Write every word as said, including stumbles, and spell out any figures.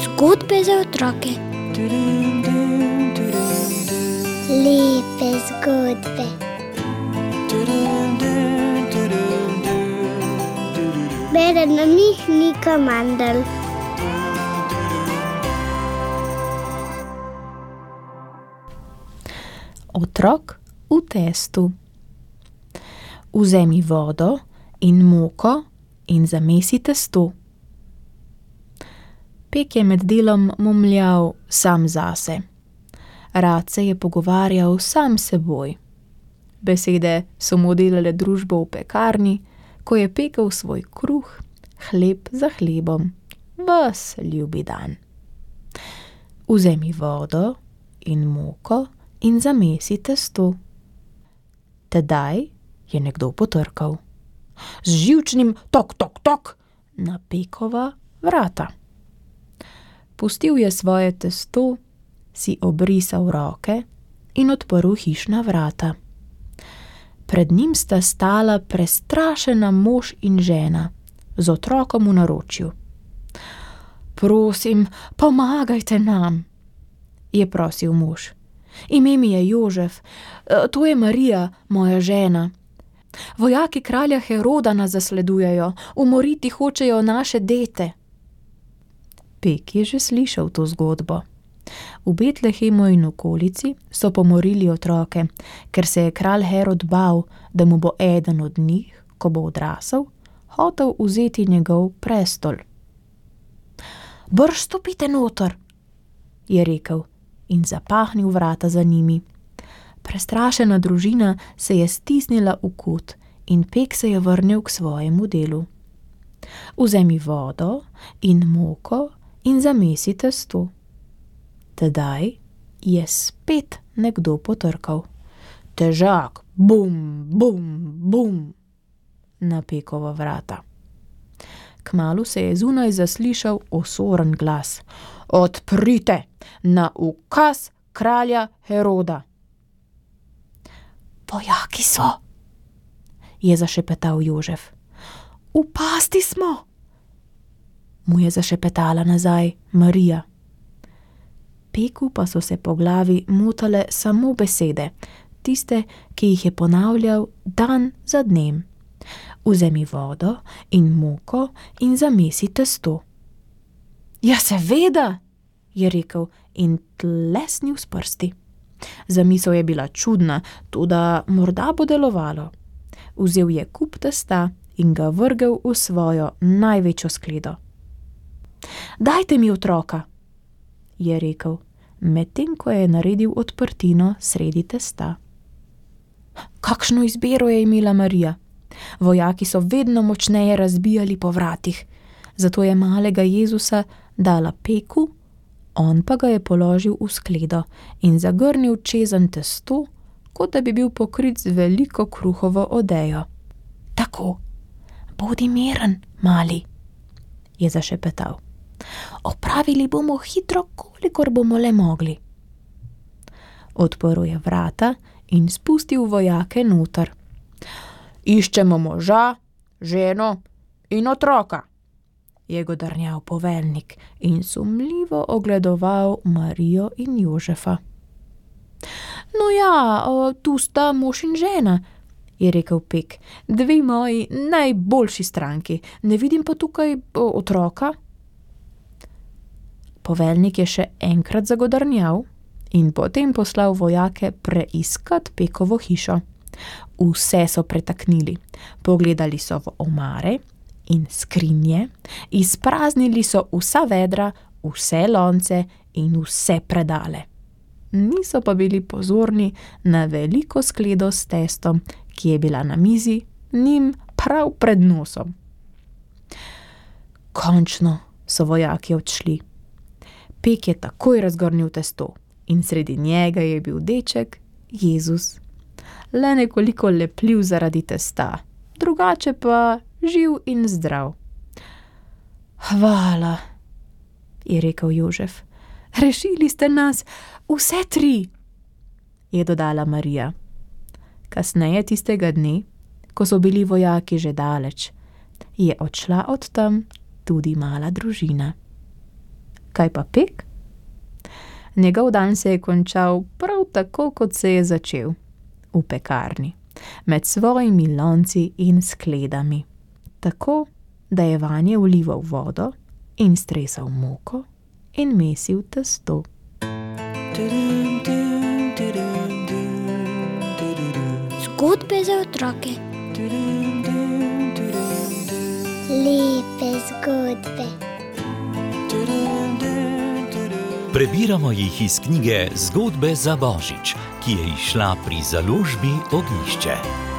Zgodbe za otroke. Lepe zgodbe. Bere nam jih Nika Mandl. Otrok v testu. Vzemi vodo in moko in zamesi testo. Pek je med delom momljal sam zase. Rad se je pogovarjal sam s seboj. Besede so mu delale družbo v pekarni, ko je pekel svoj kruh, hleb za hlebom, ves ljubi dan. Vzemi vodo in moko in zamesi testo. Tedaj je nekdo potrkal. Z živčnim tok, tok, tok na pekova vrata. Pustil je svoje testo, si obrisal roke in odprl hišna vrata. Pred njim sta stala prestrašena mož in žena z otrokom v naročju. Prosim, pomagajte nam, je prosil mož. Ime mi je Jožef, to je Marija, moja žena. Vojaki kralja Heroda nas zasledujejo, umoriti hočejo naše dete. Pek je že slišal to zgodbo. V Betlehemu in okolici so pomorili otroke, ker se je kralj Herod bal, da mu bo eden od njih, ko bo odrasel, hotel vzeti njegov prestol. Brž stopite noter, je rekel in zapahnil vrata za njimi. Prestrašena družina se je stisnila v kot in Pek se je vrnil k svojemu delu. Vzemi vodo in moko in zamesi testo. Tedaj je spet nekdo potrkal. Težak, bum, bum, bum, na Pekova vrata. Kmalu se je zunaj zaslišal osoren glas. Odprite, na ukaz kralja Heroda. Vojaki so, je zašepetal Jožef. V pasti smo, mu je zašepetala nazaj Marija. Peku pa so se po glavi motale samo besede, tiste, ki jih je ponavljal dan za dnem. Vzemi vodo in moko in zamesi testo. Ja, seveda, je rekel in tlesnil s prsti. Zamisel je bila čudna, toda morda bo delovalo. Vzel je kup testa in ga vrgel v svojo največjo skledo. Dajte mi otroka, je rekel, medtem ko je naredil odprtino sredi testa. Kakšno izbiro je imela Marija? Vojaki so vedno močneje razbijali po vratih, zato je malega Jezusa dala Peku, on pa ga je položil v skledo in zagrnil čezenj testo, kot da bi bil pokrit z veliko kruhovo odejo. Tako, bodi miren, mali, je zašepetal. Opravili bomo hitro, kolikor bomo le mogli. Odprl je vrata in spustil vojake noter. Iščemo moža, ženo in otroka, je godrnjal poveljnik in sumljivo ogledoval Marijo in Jožefa. No ja, tu sta mož in žena, je rekel Pek, dve moji najboljši stranki, ne vidim pa tukaj otroka. Poveljnik je še enkrat zagodrnjal in potem poslal vojake preiskat Pekovo hišo. Vse so pretaknili, pogledali so v omare in skrinje, izpraznili so vsa vedra, vse lonce in vse predale. Niso pa bili pozorni na veliko skledo s testom, ki je bila na mizi njim prav pred nosom. Končno so vojaki odšli. Pek je takoj razgrnil testo in sredi njega je bil deček Jezus. Le nekoliko lepljiv zaradi testa, drugače pa živ in zdrav. Hvala, je rekel Jožef. Rešili ste nas vse tri, je dodala Marija. Kasneje tistega dne, ko so bili vojaki že daleč, je odšla od tam tudi mala družina. Kaj pa Pek? Njegov dan se je končal prav tako, kot se je začel, v pekarni, med svojimi lonci in skledami, tako, da je vanje vlival vodo in stresal moko in mesil testo. Zgodbe za otroke. Lepe zgodbe. Prebiramo jih iz knjige Zgodbe za Božič, ki je izšla pri založbi Ognjišče.